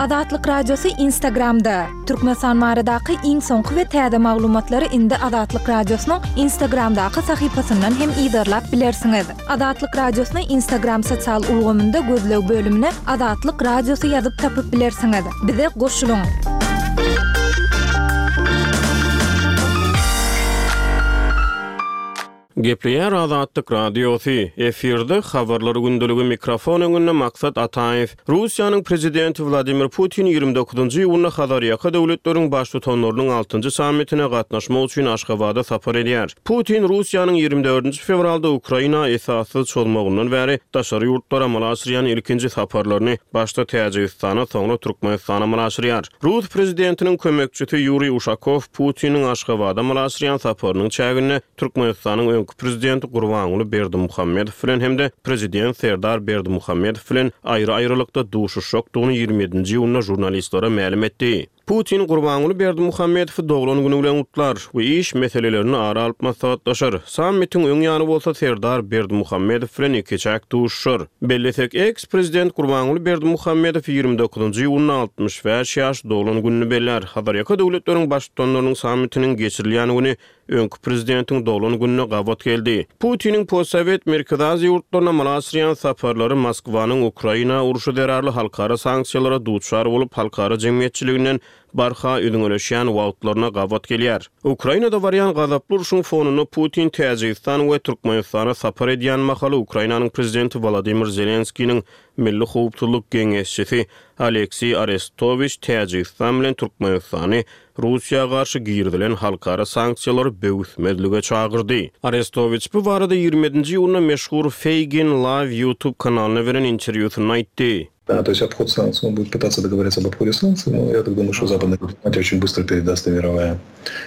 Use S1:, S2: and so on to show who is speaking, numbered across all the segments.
S1: Azatlyk Radiosy Instagramda! Türkmenistan baradaky iň soňky we täze maglumatlary indi Azatlyk Radiosynyň Instagramdaky sahypasyndan hem yzarlap bilersiňiz. Azatlyk Radiosyny Instagram sosial ulgamynda gözleg bölümine Azatlyk Radiosy ýazyp tapyp bilersiňiz. Bize goşulyň!
S2: Gepleýär Azatlyk Radiosy, efirde Habarlar gündeligi mikrofon öňünde Maksat Ataýew. Russiýanyň Prezidenti Wladimir Putin 29 iýunda Hazarýaka döwletleriň Baştutanlarynyň altynjy sammitine gatnaşmak üçin Aşgabada sapar edýär. Putin Russiýanyň 24-nji fewralda Ukraina esassyz çozmagyndan bäri daşary ýurtlara amala aşyrýan ilkinji saparlaryny başda Täjigistana, soňra Türkmenistana amala aşyrýar. Rus prezidentiniň kömekçisi Ýuriý Uşakow Putiniň Aşgabada amala aşyrýan saparynyň çäginde Türkmenistanyň öňki prezidenti Gurbanguly Berdimuhamedow bilen hem-de prezident Serdar Berdimuhamedow bilen aýry-aýrylykda duşuşjakdygyny 27-nji iýunda žurnalistlere mälim etdi. Putin Gurbanguly Berdimuhamedowy doglan güni bilen gutlar we iş meselelerini ara alyp maslahatlaşar. Sammitiň öň ýany bolsa Serdar Berdimuhamedow bilen ikiçäk duşuşar. Bellesek, eks-prezident Gurbanguly Berdimuhamedow 29-njy iýunda 65 ýaş doglan gününi bellär. Hazarýaka döwletleriň Baştutanlarynyň sammitiniň geçirilýän güni öňki prezidentiň doglan gününe gabat geldi. Putiniň postsowet Merkezi Aziýa ýurtlaryna amala aşyrýan saparlary Moskwanyň Ukraina urşy zerarly halkara sanksiýalara duçar bolup, halkara jemgyýetçiliginden barha üzňeleşýän wagtlaryna gabat gelýär. Ukrainada barýan gazaply urşuň fonunda Putin Täjigistan we Türkmenistana sapar edýän mahaly Ukrainanyň prezidenti Wolodymyr Zelenskiniň Milli howpsuzlyk geňeşçisi Alekseý Arestowiç Täjigistan bilen Türkmenistany Russiýa garşy girizilen halkara sanksiýalary böwüsmezlige çagyrdy. Arestowiç bu barada 27-nji iýunda meşhur Feygin Live YouTube kanalyna beren interwýusynda aýtdy.
S3: Да, то есть обход санкций, он будет пытаться договориться об обходе санкций, но я так думаю, что западная дипломатия очень быстро передаст и мировая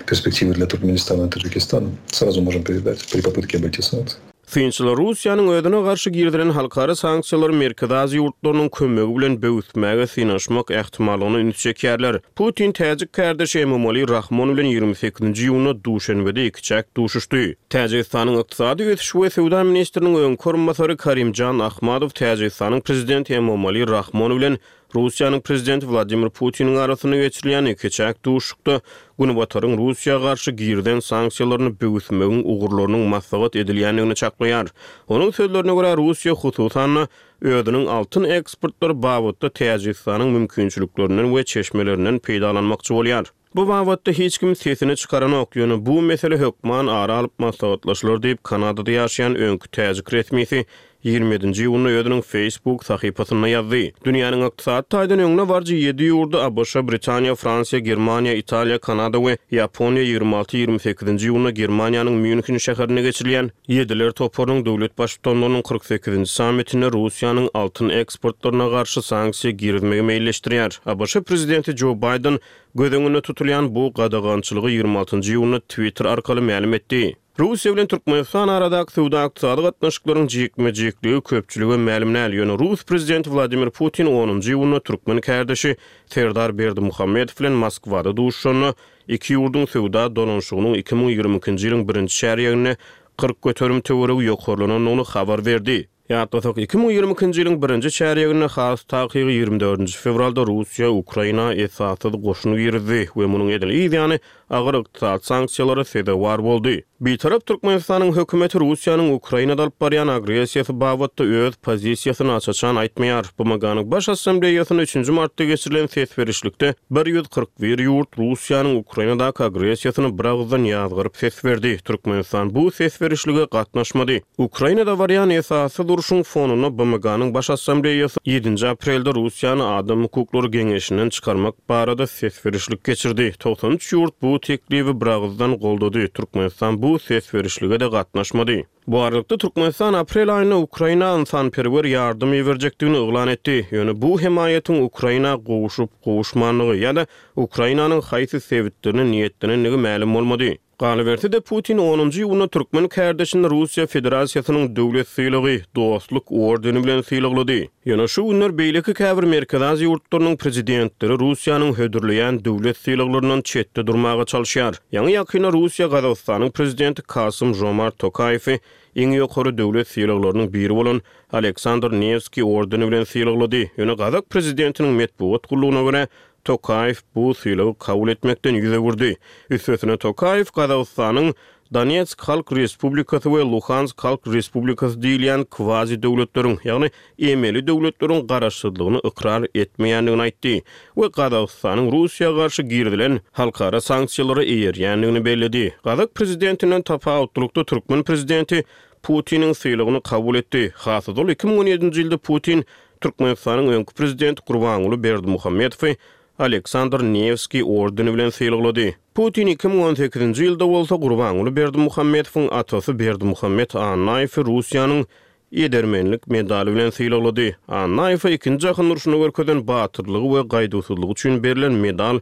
S3: перспективы для Туркменистана и Таджикистана. Сразу можем передать при попытке обойти санкции.
S2: Synçylar Russiýanyň özüne garşy girizilen halkara sanksiýalary Merkezi Aziýa ýurtlarynyň kömegi bilen böwüsmäge synanyşmak ähtimallygyna üns çekýärler. Putin täjik kärdeşi Emomali Rahmon bilen 28-nji iýunda Duşenbede ikiçäk duşuşdy. Täjigistanyň ykdysady ösüş we söwda ministriniň öňki orunbasary Karimjan Ahmadow Täjigistanyň prezidenti Emomali Rahmon bilen Russiýanyň prezidenti Wladimir Putiniň arasynda geçirilýän ikiçäk duşuşykda Günbataryň Russiýa garşy girizen sanksiýalaryny böwüsmegiň ugurlarynyň maslahat edilýändigini çaklaýar. Onuň sözlerine görä, Russiýa, hususan-da, özüniň altyn eksportlary babatda Täjigistanyň mümkinçiliklerinden we çeşmelerinden peýdalanmakçy bolýar. Bu babatda hiç kim sesini çykaranok, ýöne bu mesele hökman ara alyp maslahatlaşylar diýip, Kanadada ýaşaýan öňki täjik resmisi 27-nji iýunda özüniň Facebook sahypasynda ýazdy. Dünýäniň ykdysady taýdan öňde baryjy ýedi ýurdy, ABŞ, Britaniýa, Fransiýa, Germaniýa, Italiýa, Kanada we Ýaponiýa 26, 28-nji iýunda Germaniýanyň Mýunhen şäherinde geçirilýän Ýediler toparynyň döwlet Baştutanlarynyň 48-nji sammitinde Russiýanyň altyn eksportlaryna garşy sanksiýa girizmegi meýilleşdirýär. ABŞ prezidenti Jo Baýden Göz öňünde tutulýan bu gadagançylygy 26-njy iýunda Twitter arkaly mälim etdi. Russiýa bilen Türkmenistan aradaky söwda-ykdysady gatnaşyklaryň jikme-jikligi köpçülige mälim däl, ýöne rus prezidenti Wladimir Putin onunjy iýunda türkmen kärdeşi Serdar Berdimuhamedow bilen Moskwada duşuşanda iki ýurduň söwda dolanyşygynyň 2022-nji ýylyň birinji çärýeginde 40% töweregi ýokarlanandygyny habar berdi. Ýatlasak, 2022-nji ýylyň birinji çärýeginde, has takygy 24-nji fewralda Russiýa Ukraina esassyz goşun girizdi we munuň edil yz ýany agyr ykdysady sanksiýalara sezewar boldy. Bitarap Türkmenistanyň hökümeti Russiýanyň Ukrainada alyp barýan agressiýasy babatda öz pozisiýasyny aç-açan aýtmaýar. BMG-niň Baş Assambleýasynda üçünji martda geçirilen ses berişlikde 141 ýurt Russiýanyň Ukrainadaky agressiýasyny biragyzdan ýazgaryp ses berdi. Türkmenistan bu ses berişlige gatnaşmady. Ukrainada barýan esassyz urşuň fonunda BMG-niň Baş Assambleýasy ýedinji aprelde Russiýany Adam hukuklary geňeşinden çykarmak barada ses berişlik geçirdi. 93 ýurt bu teklibi biragyzdan goldady, Türkmenistan bu ses berişlige-de gatnaşmady. Bu aralykda, Türkmenistan aprel aýynda Ukraina ynsanperwer ýardam iberjekdigini yglan etdi. Ýöne bu hemaýatyň Ukraina gowşup-gowuşmandygy ýa-da Ukrainanyň haýsy sebitlerine niýetlenendigi mälim bolmady. Galyberse-de, Putin onunjy iýunda türkmen kärdeşini Russiýa Federasiýasynyň döwlet sylagy, Dostluk ordeni bilen sylaglady. Ýöne şu günler beýleki käbir Merkezi Aziýa ýurtlarynyň prezidentleri Russiýanyň hödürleýän döwlet sylaglaryndan çetde durmaga çalyşýar. Ýaňy-ýakynda Russiýa Gazagystanyň prezidenti Kasym-Žomart Tokaýewi iň ýokary döwlet sylaglarynyň biri bolan Aleksandr Newskiý ordeni bilen sylaglady. Ýöne gazak prezidentiniň metbugat gullugyna görä, Tokaýew bu sylagy kabul etmekden ýüz öwürdi. Üstesine Tokaýew Gazagystanyň Donetsk Halk Respublikasy we Luhansk Halk Respublikasy diýilýän kwazi-döwletleriň, ýagny emeli döwletleriň garaşsyzlygyny ykrar etmeýändigini aýtdy we Gazagystanyň Russiýa garşy girizilen halkara sanksiýalara eýerýändigini belledi. Gazak prezidentinden tapawutlylykda türkmen prezidenti Putiniň sylagyny kabul etdi. Has ozal 2017-nji ýylda Putin Türkmenistanyň öňki prezidenti Gurbanguly Berdimuhamedowy Aleksandr Newskiý ordeni bilen sylaglady. Putin 2018-nji ýylda bolsa Gurbanguly Berdimuhamedowyň atasy Berdimuhamet Annaýewi Russiýanyň Edermenlik medaly bilen sylaglady. Annaýewe Ikinji jahan urşunda görkezen batyrlygy we gaýduwsyzlygy üçin berlen medal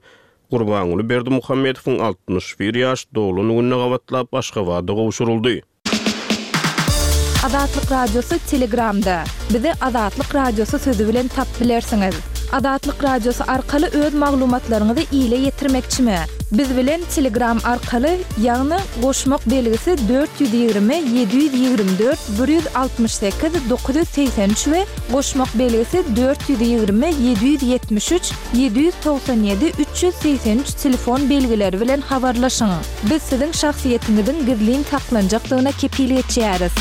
S2: Gurbanguly Berdimuhamedowyň 61 ýaş doglan gününe gabatlap Aşgabatda gowşuryldy.
S1: Azatlyk Radiosy Telegramda. Bizi Azatlyk Radiosy sözi bilen tapyp bilersiňiz. Azatlyk Radiosy arkaly öz maglumatlaryňyzy ile ýetirmekçimi? Biz bilen Telegram arkaly, ýagny goşmak belgisi 420 724 168 983 we goşmak belgisi 420 773 797 383 telefon belgileri bilen habarlaşyň. Biz siziň şahsyýetiňiziň gizlin saklanjakdygyna kepil geçýäris.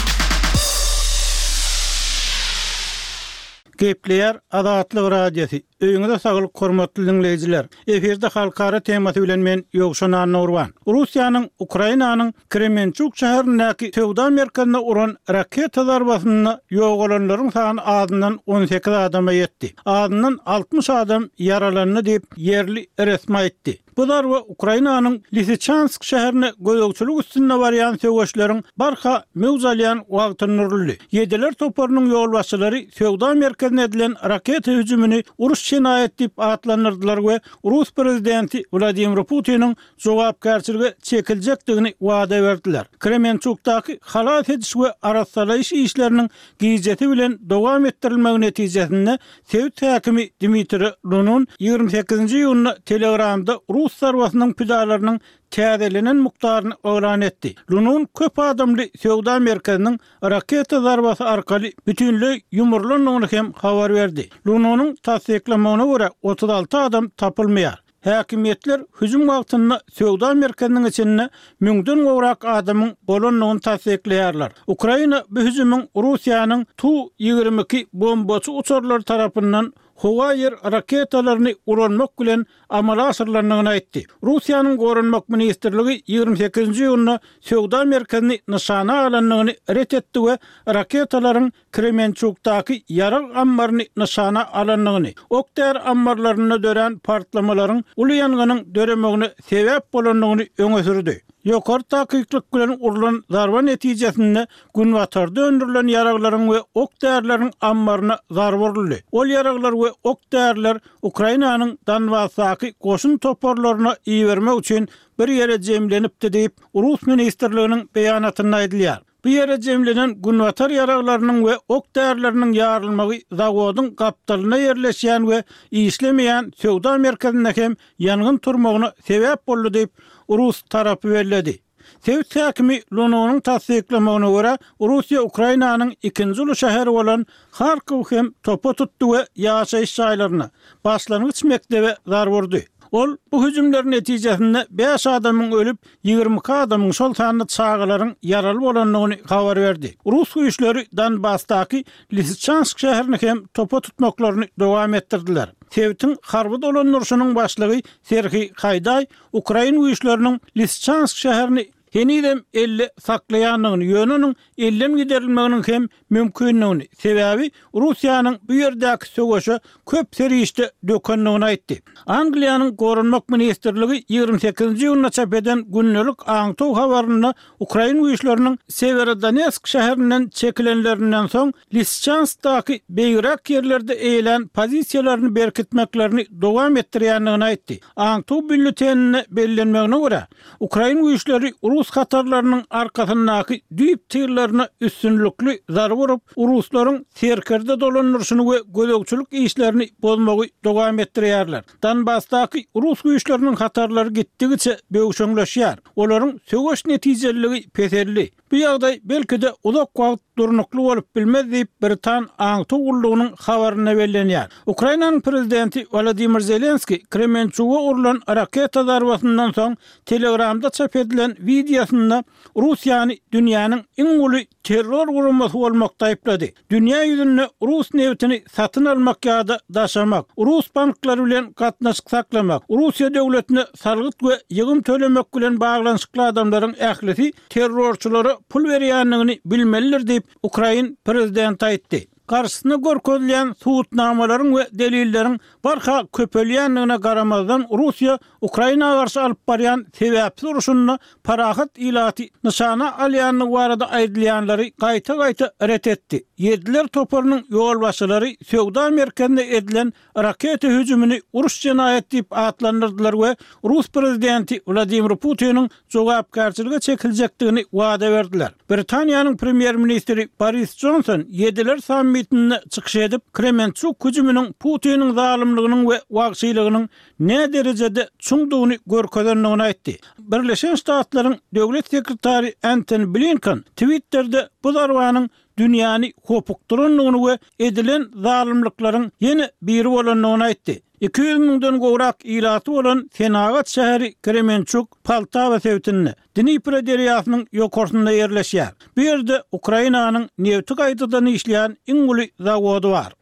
S4: Gepleýär Azatlyk Radiosy, Öýüňize saglyk hormatly diňleýjiler! Efirde halkara temasy bilen men Ýowşan Annagurban. Russiýanyň Ukrainanyň Kremençuk şäherindäki söwda merkezine uran raketa zarbasynda ýogalanlaryň sany azyndan 18 adama ýetdi. Azyndan 60 adam ýaralandy diýip, ýerli resmi aýtdy. Bu zarba Ukrainanyň Lisiçansk şäherine gözegçilik üstünde barýan söweşleriň barha möwç alýan wagtynda uruldy. Ýediler toparynyň ýolbaşçylary söwda merkezine edilen raketa hüjümini uruş jenaýaty diýip atlandyrdylar we rus prezidenti Wladimir Putiniň jogapkärçilige çekiljekdigini wada berdiler. Kremençukdaky halas ediş we arassalaýyş işleriniň gijesi bilen dowam etdirilmegi netijesinde Sebit häkimi Dmitriý Lunun 28-nji iýunda Telegramda rus zarbasynyň pidalarynyň täzelenen mukdaryny yglan etdi. Lunun köp adamly söwda merkeziniň raketa zarbasy arkaly bütinleý ýumrulandygyny hem habar berdi. Lununyň tassyklamagyna görä, 36 adam tapylmaýar. Häkimiýetler hüjüm wagtynda söwda merkeziniň içinde müňden gowrak adamyň bolandygyny tassyklaýarlar. Ukraina bu hüjümiň Russiýanyň Tu 22 bombaçy uçarlary tarapyndan howa-ýer raketalaryny ulanmak bilen amala aşyrylandygyny aýtdy. Russiýanyň Goranmak ministrligi 28-nji iýunda söwda merkezini nyşana alandygyny ret etdi we raketalaryň Kremençukdaky ýarag ammaryny nyşana alandygyny, ok-däri ammarlarynda dörän partlamalaryň uly ýangynyň döremegine sebäp bolandygyny öňe sürdi. Ýokary takyklyk bilen urlan zarba netijesinde günbatarda öndürilen ýaraglaryň we ok-därileriň ammaryna zarba uruldy. Ol ýaraglar we ok-däriler Ukrainanyň Donbasdaky goşun toparlaryna ibermek üçin bir ýere jemlenipdi diýip, rus ministrliginiň beýanatynda aýdylýar. Bu ýere jemlenen günbatar ýaraglarynyň we ok-därileriniň ýarylmagy zawodyň gapdalynda ýerleşýän we işlemeýän söwda merkezinde hem ýangyn turmagyna sebäp boldy diýip, rus tarapy belledi. Sebit häkimi Lununyň tassyklamagyna görä, Russiýa Ukrainanyň ikinji uly şäheri bolan Harkow hem topa tutdy we ýaşaýyş jaýlaryna, başlangyç mekdebe zarba urdy. Ol bu hüjümler netijesinde bäş adamyň ölüp, 22 adamyň, şol sanda çagalaryň ýaraly bolandygyny habar berdi. Rus güýçleri Donbasdaky Lisiçansk şäherini hem topa tutmaklaryny dowam etdirdiler. Sebitiň harby dolandyryşynyň başlygy Serhiý Haýdaý ukrain güýçleriniň Lisiçansk şäherini. henizem elde saklaýandygyny, ýöne onuň elden giderilmeginiň hem mümkindigini, sebäbi Russiýanyň bu ýerdäki söweşe köp serişde dökendigini aýtdy. Angliýanyň Goranmak ministrligi 28-nji iýunda çap eden gündelik aňtaw habarynda ukrain güýçleriniň Sewerodonetsk şäherinden çekilenlerinden soň Lisiçanskdaky beýigräk ýerlerde eýelän pozisiýalaryny berkitmeklerini dowam etdirýändigini aýtdy. Aňtaw býulleteninde bellenmegine görä, Ukrain güýçleri rus hatarlarynyň arkasyndaky düýp tyllaryna üstünlikli zarba urup, ruslaryň serkerde dolandyryşyny we gözegçilik işlerini bozmagy dowam etdirýärler. Donbasdaky rus güýçleriniň hatarlary gitdigiçe böwşeňleşýär, olaryň söweş netijeliligi peseldi. Bu ýagdaý, belki-de, uzak wagt durnukly bolup bilmez diýip, britan aňtaw gullugynyň habarynda bellenýär. Ukrainanyň prezidenti Wolodymyr Zelenskiý Kremençuga urlan raketa zarbasyndan soň Telegramda çap edilen wideosynda Russiýany dünýäniň iň uly terror guramasy bolmakda aýyplady. Dünýä ýüzünde rus nebitini satyn almak ýa-da daşamak, rus banklary bilen gatnaşyk saklamak, Russiýa döwletine salgyt we ýygym tölemek bilen baglanyşykly adamlaryň ählisi terrorçylara pul berýändigini bilmelidir diýip, ukrain prezidenti aýtdy. Garşysyna görkezilýän subutnamalaryň we delilleriň barha köpelýändigine garamazdan, Russiýa Ukraina garşy alyp barýan sebäpsiz urşunda parahat ilaty nyşana alýandygy barada aýdylýanlary gaýta-gaýta ret etdi. Ýediler toparynyň ýolbaşçylary söwda merkezine edilen raketa hüjümini uruş jenaýaty diýip atlandyrdylar we rus prezidenti Wladimir Putiniň jogapkärçilige çekiljekdigini wada berdiler. Britaniýanyň premýer-ministri Boris Jonson Ýediler sammitinde çykyş edip, Kremençuk hüjüminiň Putiniň zalymlygynyň we wagşylygynyň näderejede çuňdugyny görkezendigini aýtdy. Birleşen Ştatlaryň Döwlet sekretary Entoni Blinken Twitterde bu zarbanyň dünýäni hopukdyrandygyny we edilen zalymlyklaryň ýene biri bolandygyny aýtdy. 200 müňden gowrak ilaty bolan senagat şäheri Kremençuk Poltawa sebitinde, Dnipro derýasynyň ýokarsynda ýerleşýär. Bu ýerde Ukrainanyň nebti gaýtadan işleýän iň uly zawody bar.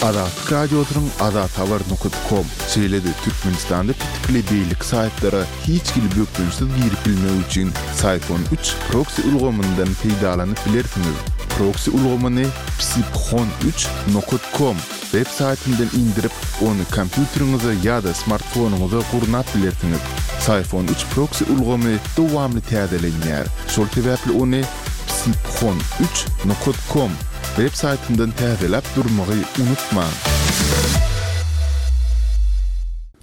S5: Azatlyk Radiosynyň azathabar nokat kom, şeýle-de Türkmenistanda petikli beýleki saýtlara hiç hili bökdençsiz girip bilmek üçin Syphon üç proksi ulgamyndan peýdalanyp bilersiňiz. Proksi ulgamyny psiphon üç nokat kom web saýtyndan indirip, ony kompýuteriňize ýa-da smartfonyňyza gurnap bilersiňiz. Syphon üç proksi ulgamy dowamly täzelenýär, şol sebäpli ony psiphon üç nokat kom web saýtyndan täzeläp durmagy unutmaň.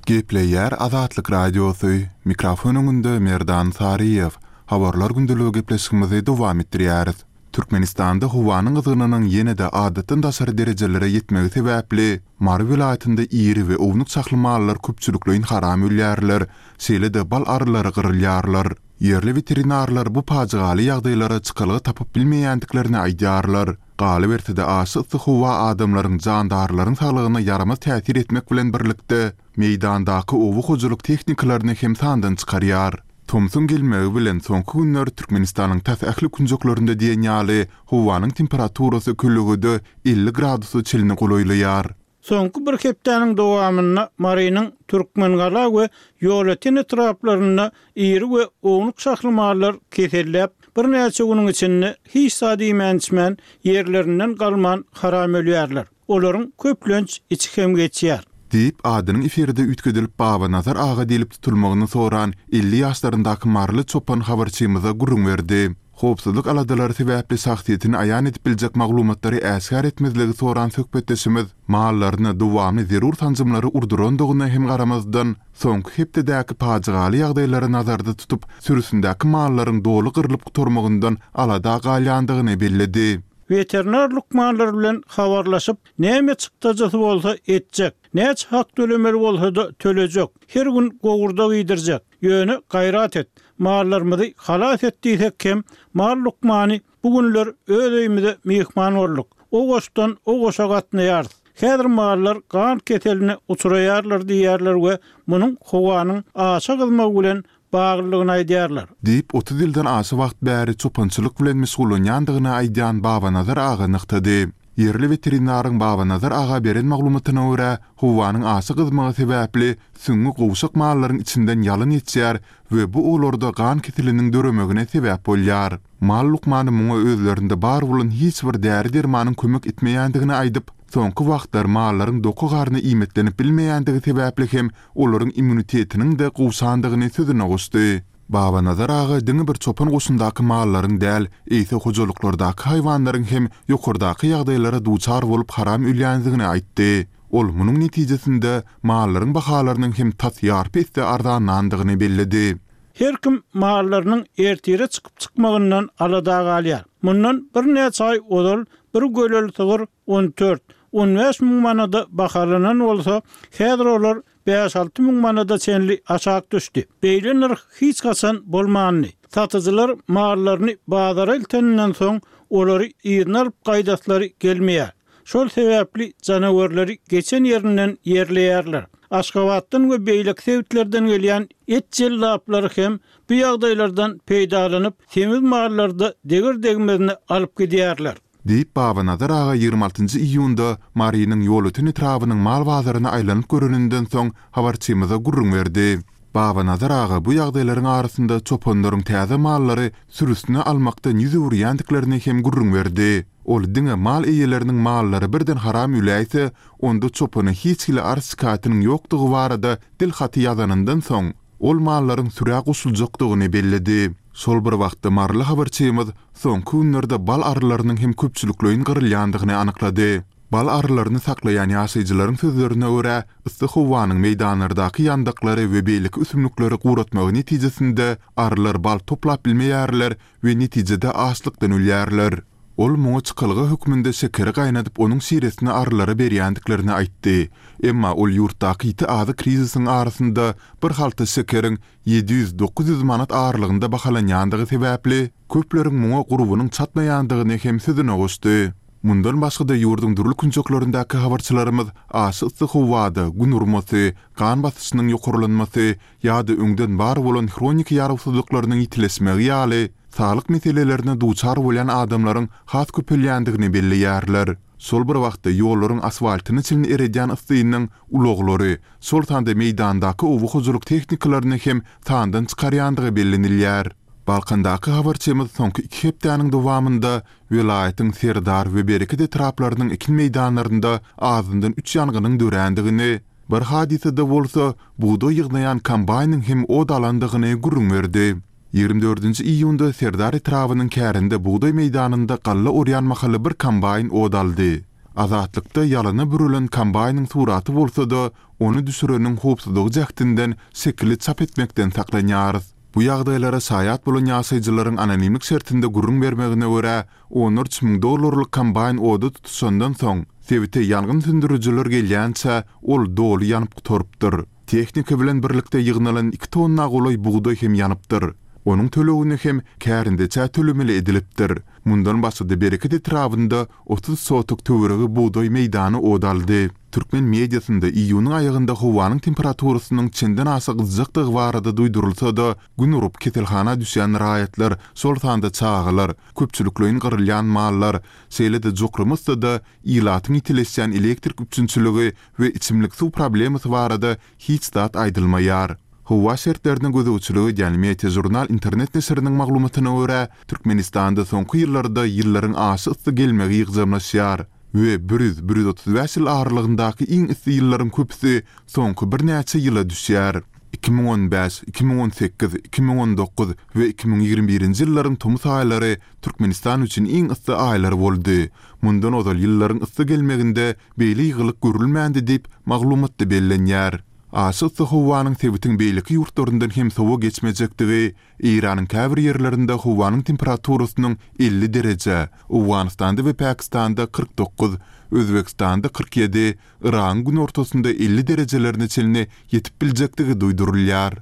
S5: Gepleýär Azatlyk Radiosy, mikrofon öňünde Merdan Saryýew. Habarlar gündeligi gepleşigimizi dowam etdirýäris. Türkmenistanda howanyň gyzgynynyň ýene-de adatdan daşary derejelere ýetmegi sebäpli, Mary welaýatynda iri we ownuk şahly mallar köpçülikleýin haram ölýärler, şeýle-de bal arylary gyrylýarlar. Ýerli weterinarlar bu pajygaly ýagdaýlara çykalga tapyp bilmeýändiklerini aýdýarlar. Galyberse-de aşa yssy howa adamlaryň, jandarlaryň saglygyna ýaramaz täsir etmek bilen birlikde, meýdandaky oba hojalyk tehnikalaryny hem sandan çykarýar. Tomsuň gelmegi bilen soňky günler Türkmenistanyň tas ähli künjeklerinde diýen ýaly howanyň temperaturasy kölegede 50 gradusa çenli golaýlaýar.
S4: Soňky bir hepdäniň dowamynda Marynyň Türkmengala we Ýolöten etraplarynda iri we ownuk şahly mallar keselläp, birnäçe günüň içinde hiç zat iýmän-içmän, ýerlerinden galman haram ölýärler. Olaryň köplenç içi hem geçýär.
S5: Diýip, adynyň efirde üýtgedilip Babanazar aga diýlip tutulmagyny soran 50 ýaşlaryndaky maryly çopan habarçymyza gürrüň berdi. Howpsuzlyk aladalary sebäpli şahsyýetini aýan edip biljek maglumatlary äşgär etmezligi soran söhbetdeşimiz mallaryna dowamly zerur sanjymlary urdurandygyna hem garamazdan, soňky hepdedäki pajygaly ýagdaýlary nazarda tutup, sürüsindäki mallaryň doly gyrlyp gutarmagyndan alada galýandygyny belledi.
S4: Weterinar lukmanlar bilen habarlaşyp, näme çykdajysy bolsa etjek, näçe hak tölemeli bolsa-da tölejek, her gün gowurdak iýdirjek. Ýöne gaýrat et, mallarymyzy halas et diýsek hem, mal lukmany bu günler öz öýümize myhman bolduk. O goşdan o goşa gatnaýarys. Häzir mallar gan keseline uçraýarlar diýýärler we munuň howanyň aşa gyzmagy bilen baglydygyny aýdýarlar.
S5: Diýip, 30 ýyldan aşa wagt bäri çopançylyk bilen meşgullanýandygyny aýdýan Babanazar aga nygtady. Ýerli weterinaryň Babanazar aga beren maglumatyna görä, howanyň aşa gyzmagy sebäpli süňňi gowşak mallaryň içinden ýalyn geçýär we bu olarda gan keseliniň döremegine sebäp bolýar. Mal lukmany muňa özlerinde bar bolan hiç bir däri-dermanyň kömek etmeýändigini aýdyp, soňky wagtlar mallaryň doky garny iýmitlenip bilmeýändigi sebäpli hem olaryň immunitetiniň-de gowşandygyny sözüne goşdy. Babanazar aga diňe bir çopan goşundaky mallaryň däl, eýse hojalyklardaky haýwanlaryň hem ýokardaky ýagdaýlara duçar bolup haram ölýändigini aýtdy. Ol munuň netijesinde mallaryň bahalarynyň hem tas ýarpy esse arzanlandygyny belledi.
S4: Her kim mallarynyň ertire çykyp-çykmagyndan alada galýar. Mundan birnäçe aý ozal bir göleli sygyr 14, 15 müň manada bahalanan bolsa, häzir olar bäş-alty müň manada çenli aşak düşdi. Beýle nyrh hiç haçan bolmandy. Satyjylar mallaryny bazara ilteninden soň, olary yzyna alyp gaýdaslary gelmeýär. Şol sebäpli janawerleri geçen ýerinden ýerleýärler. Aşgabatdan we beýleki sebitlerden gelýän et jellaplary hem bu ýagdaýlardan peýdalanyp, semiz mallary-da deger-degmezine alyp gidýärler.
S5: Diýip, Babanazar aga 26 njy iýunda Marynyň Ýolöten etrabynyň mal bazaryna aýlanyp göreninden soň habarçymyza gürrüň berdi. Babanazar aga bu ýagdaýlaryň arasynda çopanlaryň täze mallary sürüsine almakdan ýüz öwürýändiklerini hem gürrüň berdi. Ol diňe mal eýeleriniň mallary birden haram öläýse, onda çopana hiç hili arz-şikaýatynyň ýokdugy barada dil haty ýazanyndan soň, ol mallaryň sürä goşuljakdygyny belledi. Şol bir wagtda maryly habarçymyz soňky günlerde bal arylarynyň hem köpçülikleýin gyrylýandygyny anyklady. Bal arylaryny saklaýan ýaşaýjylaryň sözlerine görä, yssy howanyň meýdanlardaky ýandaklary we beýleki ösümlikleri guratmagy netijesinde arylar bal toplap bilmeýärler we netijede açlykdan ölýärler. Ol muňa çykalga hökmünde şekeri gaýnadyp onuň şiresini arylara berýändiklerini aýtdy. Emma ol ýurtdaky ýiti azyk krizisiň arasynda bir halta şekeriň 700-900 manat aralygynda bahalanýandygy sebäpli, köpleriň muňa gurbunyň çatmaýandygyny hem sözüne goşdy. Mundan başga-da ýurduň dürli künjeklerindäki habarçylarymyz aşa yssy howada gün urmasy, gan basyşynyň ýokarlanmasy ýa-da öňden bar bolan hroniki ýarawsyzlyklarynyň ýitileşmegi ýaly saglyk meselelerine duçar bolýan adamlaryň has köpelýändigini belleýärler. Şol bir wagtda ýollaryň asfaltyny çilin eredýän yssynyň ulaglary, şol sanda meýdandaky oba hojalyk tehnikalaryny hem sandan çykarýandygy bellenilýär. Balkandaky habarçymyz soňky iki hepdäniň dowamynda welaýatyň Serdar we Bereket etraplarynyň ekin meýdanlarynda azyndan üç ýangynyň dörändigini, Bir hadysada bolsa, bugdaý ýygnaýan kombaýnyň hem ot alandygyny gürrüň berdi. 24 nji iýunda Serdar etrabynyň kärende bugdaý meýdanynda galla orýan mahaly bir kombaýn ot aldy. Azatlykda ýalana bürelen kombaýnyň suraty bolsa-da, ony düşüreniň howpsuzlygy jähtinden şekili çap etmekden saklanýarys. Bu ýagdaýlara şaýat bolan ýaşaýjylaryň anonimlik şertinde gürrüň bermegine görä, Onlarça müň dollarlyk kombaýn oda tutuşandan soň, sebite ýangyn söndürijiler gelýänçä, ol doly ýanyp gutarypdyr. Tehnika bilen birlikde ýygnalan iki tonna golaý bugdaý hem ýanypdyr. Onuň tölegini hem kärendeçä tölemeli edilipdir. Mundan başga-da Bereket etrabynda 30 sotok töweregi bugdaý meýdany ot aldy. Türkmen mediasynda iýunyň aýagynda howanyň temperaturasynyň çenden aşa gyzjakdygy barada duýdurylsa-da, gün urup keselhana düşýän raýatlar, şol sanda çagalar, köpçülikleýin gyrylýan mallar, şeýle-de Jokramusda-da ilatyň ýitileşýän elektrik üpjünçiligi we içimlik suw problemasy barada hiç zat aýdylmaýar. Howa şertlerine gözegçilik edýän Meteožurnal internet neşiriniň maglumatyna görä, Türkmenistanda soňky ýyllarda ýyllaryň aşa yssy gelmegi ýygjamlaşýar we 100, 135 ýyl aralygyndaky iň yssy ýyllaryň köpüsi soňky birnäçe ýyla düşýär. 2015, 2018, 2019 we 2021-nji ýyllaryň tomus aýlary Türkmenistan üçin iň yssy aýlar boldy. Mundan ozal ýyllaryň yssy gelmeginde beýle ýygylyk görülmändi diýip, maglumatda bellenýär. Aşa yssy howanyň sebitiň beýleki ýurtlaryndan hem sowa geçmejekdigi, Eýranyň käbir ýerlerinde howanyň temperaturasynyň 50 dereje, Owganystanda we Pakistanda 49, Özbegistanda 47, Yragyň günortasynda 50 derejelerine çenli ýetip biljekdigi duýdurylýar.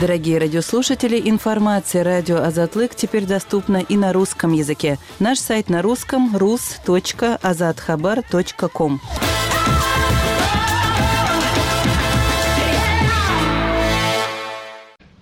S6: Дорогие радиослушатели, информация радио Азатлык теперь доступна и на русском языке. Наш сайт на русском rus.azathabar.com.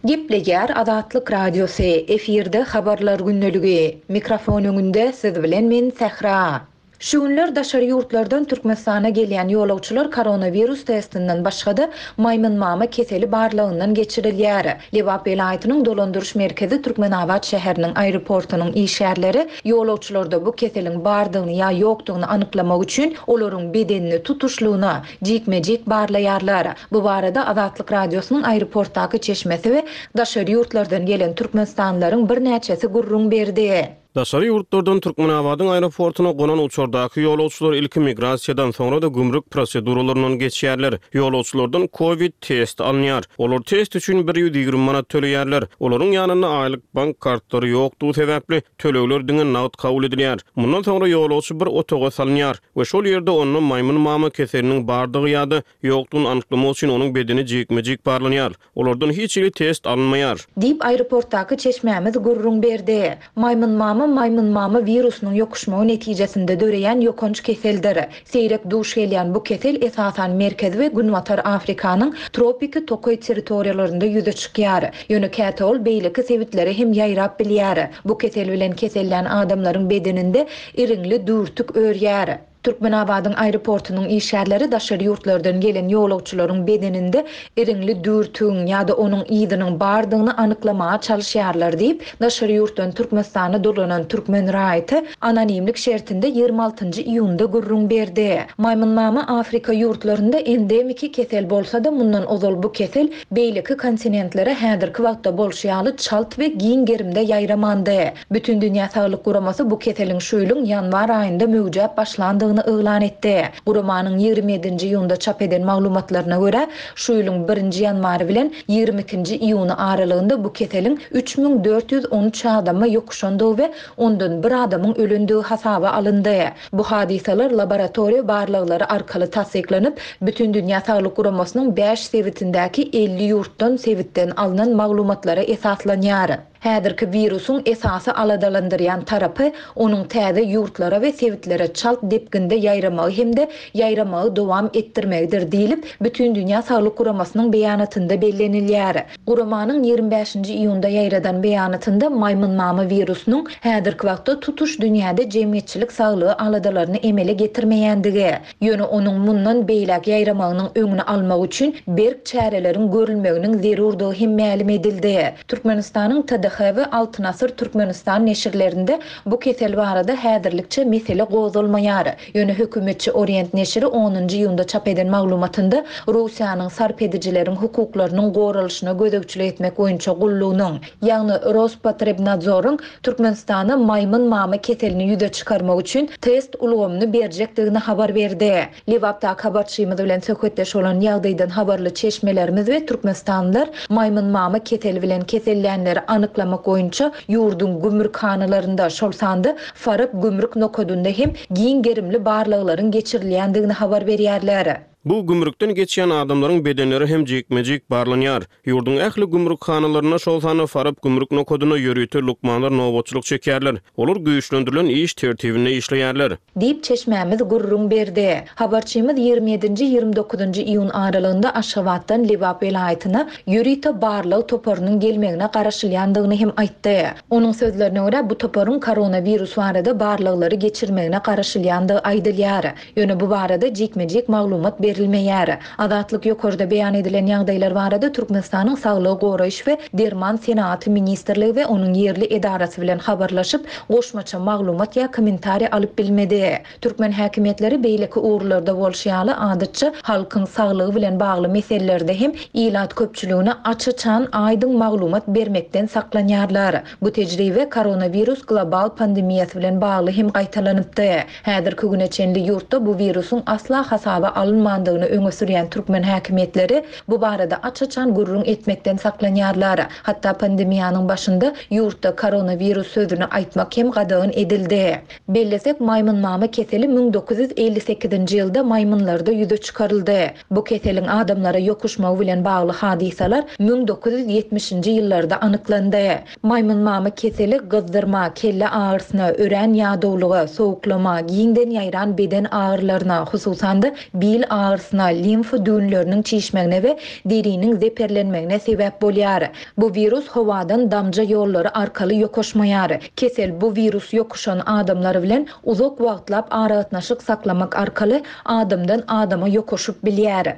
S1: Gepleýär Azatlyk Radiosy, efirde Habarlar gündeligi. Mikrofon öňünde siz bilen men Sähra. Şu günler daşary ýurtlardan Türkmenistana gelýän ýolagçylar koronawirus testinden başga-da, maýmynmama keseli barlagyndan geçirilýär. Lebap welaýatynyň dolandyryş merkezi Türkmenabat şäheriniň aeroportunyň işgärleri ýolagçylarda bu keseliň bardygyny ýa ýokdugyny anyklamak üçin olaryň bedenini tutuşlygyna jikme-jik barlaýarlar. Bu barada Azatlyk Radiosynyň aeroportdaky çeşmesi we daşary ýurtlardan gelen türkmenistanlylaryň birnäçesi gürrüň berdi.
S2: Daşary ýurtlardan Türkmenabadyň aeroportuna gonan uçardaky ýolagçylar ilki migrasiýadan, soňra-da gümrük proseduralaryndan geçýärler. Ýolagçylardan covid testi alynýar. Olar test üçin 120 manat töleýärler. Olaryň ýanynda aýlyk bank kartlary ýokdugy sebäpli, tölegler diňe nagt kabul edilýär. Mundan soňra ýolagçy bir otaga salynýar we şol ýerde onda maýmyn mama keseliniň bardygy ýa-da ýokdugyny anyklamak üçin onuň bedeni jikme-jik barlanýar. Olardan hiç hili test alynmaýar.
S1: Diýip, aeroportdaky çeşmämiz gürrüň berdi. Maýmynmama maýmynmama wirusynyň ýokuşmagy netijesinde döreýän ýokanç keseldir. Seýrek duş gelýän bu kesel esasan Merkezi we Günbatar Afrikanyň tropiki tokaý territoriýalarynda ýüze çykýar. Ýöne käte ol beýleki sebitlere hem ýaýrap bilýär. Bu kesel bilen kesellän adamlaryň bedeninde iriňli düwürtik örýär. Türkmenabadyň aeroportunyň işgärleri daşary ýurtlardan gelen ýolagçylaryň bedeninde iriňli düwürtigiň ýa-da onuň yzynyň bardygyny anyklamaga çalyşýarlar diýip, daşary ýurtdan Türkmenistana dolanan türkmen raýaty anonimlik şertinde 26 nji iýunda gürrüň berdi. Maýmynmama Afrika ýurtlarynda endemiki kesel bolsa-da, mundan ozal bu kesel beýleki kontinentlere häzirki wagtda bolşy ýaly çalt we giň gerimde ýaýramandy. Bütindünýä Saglyk Guramasy bu keseliň şu ýylyň ýanwar aýynda möwjäp başlandygyny yglan etdi. Guramanyň 27 nji iýunda çap eden maglumatlaryna görä, şu ýylyň birinji ýanwary bilen 22 nji iýuny aralygynda bu keseliň 3413 adama ýokuşandygy we ondan bir adamyň ölendigi hasaba alyndy. Bu hadysalar laboratoriýa barlaglary arkaly tassyklanyp, Bütindünýä Saglyk Guramasynyň bäş sebitindäki 50 ýurtdan sebitden alnan maglumatlara esaslanýar. Häzirki wirusyň esasy aladalandyrýan tarapy, onuň täze ýurtlara we sebitlere çalt depginde ýaýramagy hem-de ýaýramagy dowam etdirmegidir diýlip, Bütindünýä Saglyk Guramasynyň beýanatynda bellenilýär. Guramanyň 25 nji iýunda ýaýradan beýanatynda maýmynmama wirusynyň häzirki wagtda tutuş dünýäde jemgyýetçilik saglygy aladalaryny emele getirmeýändigi, Ýöne onuň mundan beýläk ýaýramagynyň öňüni almak üçin berk çäreleriň görülmeginiň zerurdygy hem mälim edildi. Türkmenistanyň TDH we Altyn asyr Türkmenistan neşirlerinde bu kesel barada häzirlikçe mesele gozgalmaýar. Ýöne hökümetçi Orient neşiri onunjy iýunda çap eden maglumatynda Russiýanyň sarp edijileriň hukuklarynyň goralyşyna gözegçilik etmek boýunça gullugynyň, ýagny Rospotrebnadzoryň Türkmenistana maýmyn mama keselini ýüze çykarmak üçin test ulgamyny berjekdigini habar berdi. Lebapdaky habarçymyz bilen söhbetdeş bolan ýagdaýdan habarly çeşmelerimiz we türkmenistanlylar maýmyn mama keseli bilen kesellänleri anyklamak boýunça ýurduň gümrükhanalarynda, şol sanda Farap gümrük nokadynda hem giň gerimli barlaglaryň geçirilýändigini habar berýärler.
S2: Bu gümrükden geçýän adamlaryň bedenleri hem jikme-jik barlanýar. Ýurduň ähli gümrükhanalarynda, şol sanda Farap gümrük nokadynda ýörite lukmanlar nobatçylyk çekýärler. Olar güýçlendirilen iş tertibinde işleýärler.
S1: Diýip, çeşmämiz gürrüň berdi. Habarçymyz 27 nji, 29 nji iýun aralygynda Aşgabatdan Lebap welaýatyna ýörite barlag toparynyň gelmegine garaşylýandygyny hem aýtdy. Onuň sözlerine görä, bu toparyň koronawirus barada barlaglary geçirmegine garaşylýandygy aýdylýar. Ýöne bu barada jikme-jik maglumat berilmeýär. Azatlyk ýokarda beýan edilen ýagdaýlar barada Türkmenistanyň Saglygy goraýyş we derman senagaty ministrligi we onuň ýerli edarasy bilen habarlaşyp, goşmaça maglumat ýa kommentariý alyp bilmedi. Türkmen häkimiýetleri beýleki ugurlarda bolşy ýaly, adatça, halkyň saglygy bilen bagly meselelerde hem ilat köpçüligine aç-açan, aýdyň maglumat bermekden saklanýarlar. Bu tejribe koronawirus global pandemiýasy bilen bagly hem gaýtalanypdy. Häzirki güne çenli ýurtda bu wirusyň asla hasaba alynmandygyny öňe sürýän türkmen häkimiýetleri bu barada aç-açan gürrüň etmekden saklanýarlar. Hatda pandemiýanyň başynda ýurtda koronawirus sözüni aýtmak hem gadagan edildi. Bellesek, maýmynmama keseli 1958-nji ýylda maýmynlarda ýüze çykaryldy. Bu keseliň adamlara ýokuşmagy bilen bagly hadysalar 1970-nji ýyllarda anyklandy. Maýmynmama keseli gyzdyrma, kelle agyrysyna, örän ýadawlyga, sowuklama, giňden ýaýran beden agyrylaryna, hususan-da, bil agyrysyna. agyrysyna, limfa düwünleriniň çişmegine we deriniň zeperlenmegine sebäp bolýar. Bu wirus howadan damja ýollary arkaly ýokaşmaýar. Kesel bu wirus ýokuşan adamlar bilen uzak wagtlap aragatnaşyk saklamak arkaly adamdan adama ýokaşyp bilýär.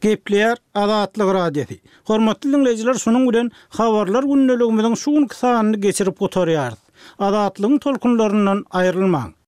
S4: Gepleýär Azatlyk Radiosy. Hormatly diňleýjiler şunuň bilen Habarlar gündeligimiziň şu günki sanyny geçirip gutarýarys. Azatlygyň tolkunlaryndan aýrylmaň!